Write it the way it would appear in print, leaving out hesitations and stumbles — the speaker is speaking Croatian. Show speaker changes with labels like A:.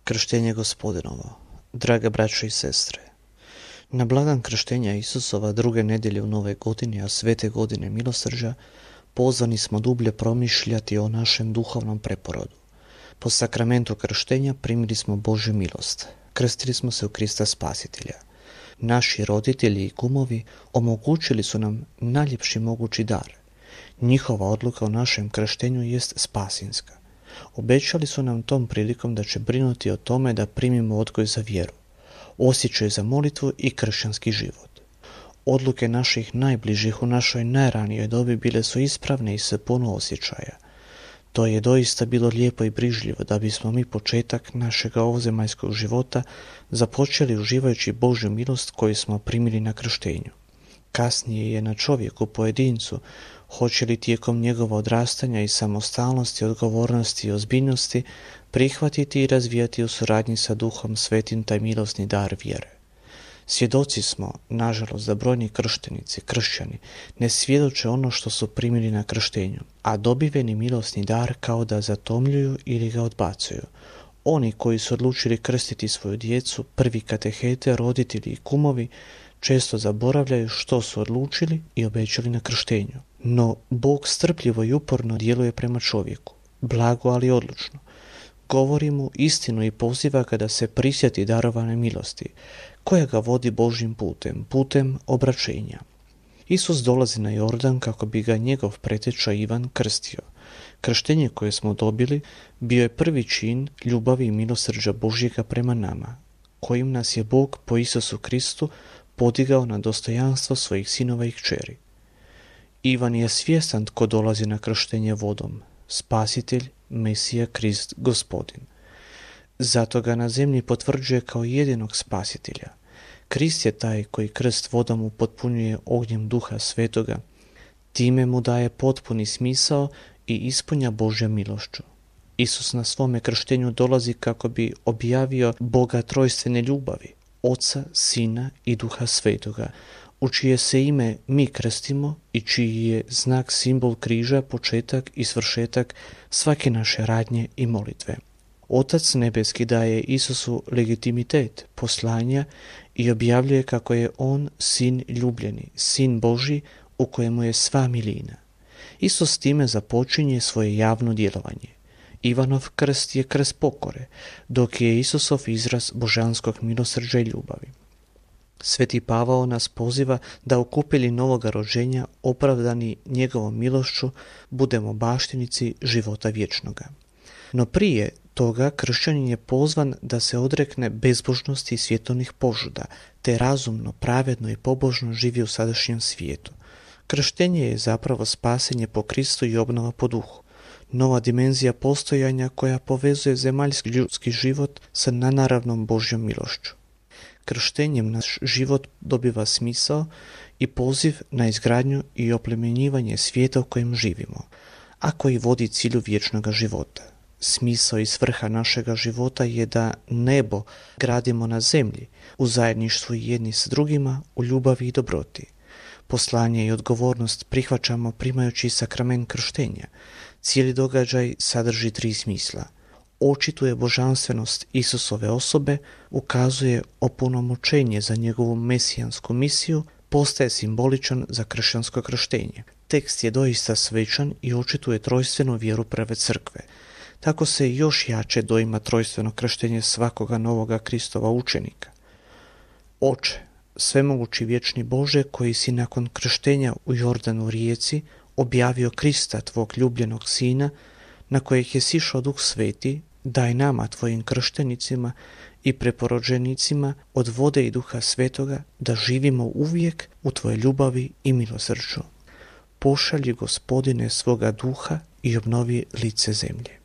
A: Krštenje Gospodinovo. Drage braće i sestre, na blagdan krštenja Isusova druge nedjelje u Nove godine, a svete godine milosrđa, pozvani smo dublje promišljati o našem duhovnom preporodu. Po sakramentu krštenja primili smo Božju milost, krstili smo se u Krista Spasitelja. Naši roditelji i kumovi omogućili su nam najljepši mogući dar. Njihova odluka o našem krštenju jest spasinska. Obećali su nam tom prilikom da će brinuti o tome da primimo odgoj za vjeru, osjećaj za molitvu i kršćanski život. Odluke naših najbližih u našoj najranijoj dobi bile su ispravne i sa puno osjećaja. To je doista bilo lijepo i brižljivo da bismo mi početak našega ovozemaljskog života započeli uživajući Božju milost koju smo primili na krštenju. Kasnije je na čovjeku, pojedincu, hoće li tijekom njegova odrastanja i samostalnosti, odgovornosti i ozbiljnosti prihvatiti i razvijati u suradnji sa Duhom Svetim taj milosni dar vjere. Svjedoci smo, nažalost, da brojni krštenici, kršćani, ne svjedoče ono što su primili na krštenju, a dobiveni milosni dar kao da zatomljuju ili ga odbacuju. Oni koji su odlučili krstiti svoju djecu, prvi katehete, roditelji i kumovi, često zaboravljaju što su odlučili i obećali na krštenju. No, Bog strpljivo i uporno djeluje prema čovjeku, blago ali odlučno. Govori mu istinu i poziva ga da se prisjeti darovane milosti, koja ga vodi Božjim putem obraćenja. Isus dolazi na Jordan kako bi ga njegov preteča Ivan krstio. Krštenje koje smo dobili bio je prvi čin ljubavi i milosrđa Božjega prema nama, kojim nas je Bog po Isusu Kristu podigao na dostojanstvo svojih sinova i kćeri. Ivan je svjestan tko dolazi na krštenje vodom, Spasitelj, Mesija, Krist, Gospodin. Zato ga na zemlji potvrđuje kao jedinog spasitelja. Krist je taj koji krst vodom upotpunjuje ognjem Duha Svetoga, time mu daje potpuni smisao i ispunja Božja milošću. Isus na svome krštenju dolazi kako bi objavio Boga trojstvene ljubavi, Oca, Sina i Duha Svetoga, u čije se ime mi krstimo i čiji je znak simbol križa, početak i svršetak svake naše radnje i molitve. Otac nebeski daje Isusu legitimitet poslanja i objavljuje kako je on sin ljubljeni, sin Božji u kojemu je sva milina. Isus time započinje svoje javno djelovanje. Ivanov krst je krst pokore, dok je Isusov izraz božanskog milosrđa i ljubavi. Sveti Pavao nas poziva da u kupelji novoga rođenja, opravdani njegovom milošću, budemo baštinici života vječnoga. No prije toga kršćanin je pozvan da se odrekne bezbožnosti i svjetovnih požuda, te razumno, pravedno i pobožno živi u sadašnjem svijetu. Krštenje je zapravo spasenje po Kristu i obnova po duhu. Nova dimenzija postojanja koja povezuje zemaljski ljudski život sa nenaravnom Božjom milošću. Krštenjem naš život dobiva smisao i poziv na izgradnju i oplemenjivanje svijeta u kojem živimo, a koji vodi cilju vječnoga života. Smisao i svrha našega života je da nebo gradimo na zemlji, u zajedništvu jedni s drugima, u ljubavi i dobroti. Poslanje i odgovornost prihvaćamo primajući sakrament krštenja. Cijeli događaj sadrži 3 smisla. Očituje božanstvenost Isusove osobe, ukazuje opunomoćenje za njegovu mesijansku misiju, postaje simboličan za kršćansko krštenje. Tekst je doista svečan i očituje trojstvenu vjeru prve crkve. Tako se još jače doima trojstveno krštenje svakoga novoga Kristova učenika. Oče, svemogući vječni Bože, koji si nakon krštenja u Jordanu rijeci objavio Krista, tvog ljubljenog Sina, na kojeg je sišao Duh Sveti, daj nama, tvojim krštenicima i preporođenicima od vode i Duha Svetoga, da živimo uvijek u tvojoj ljubavi i milosrđu. Pošalji, Gospodine, svoga duha i obnovi lice zemlje.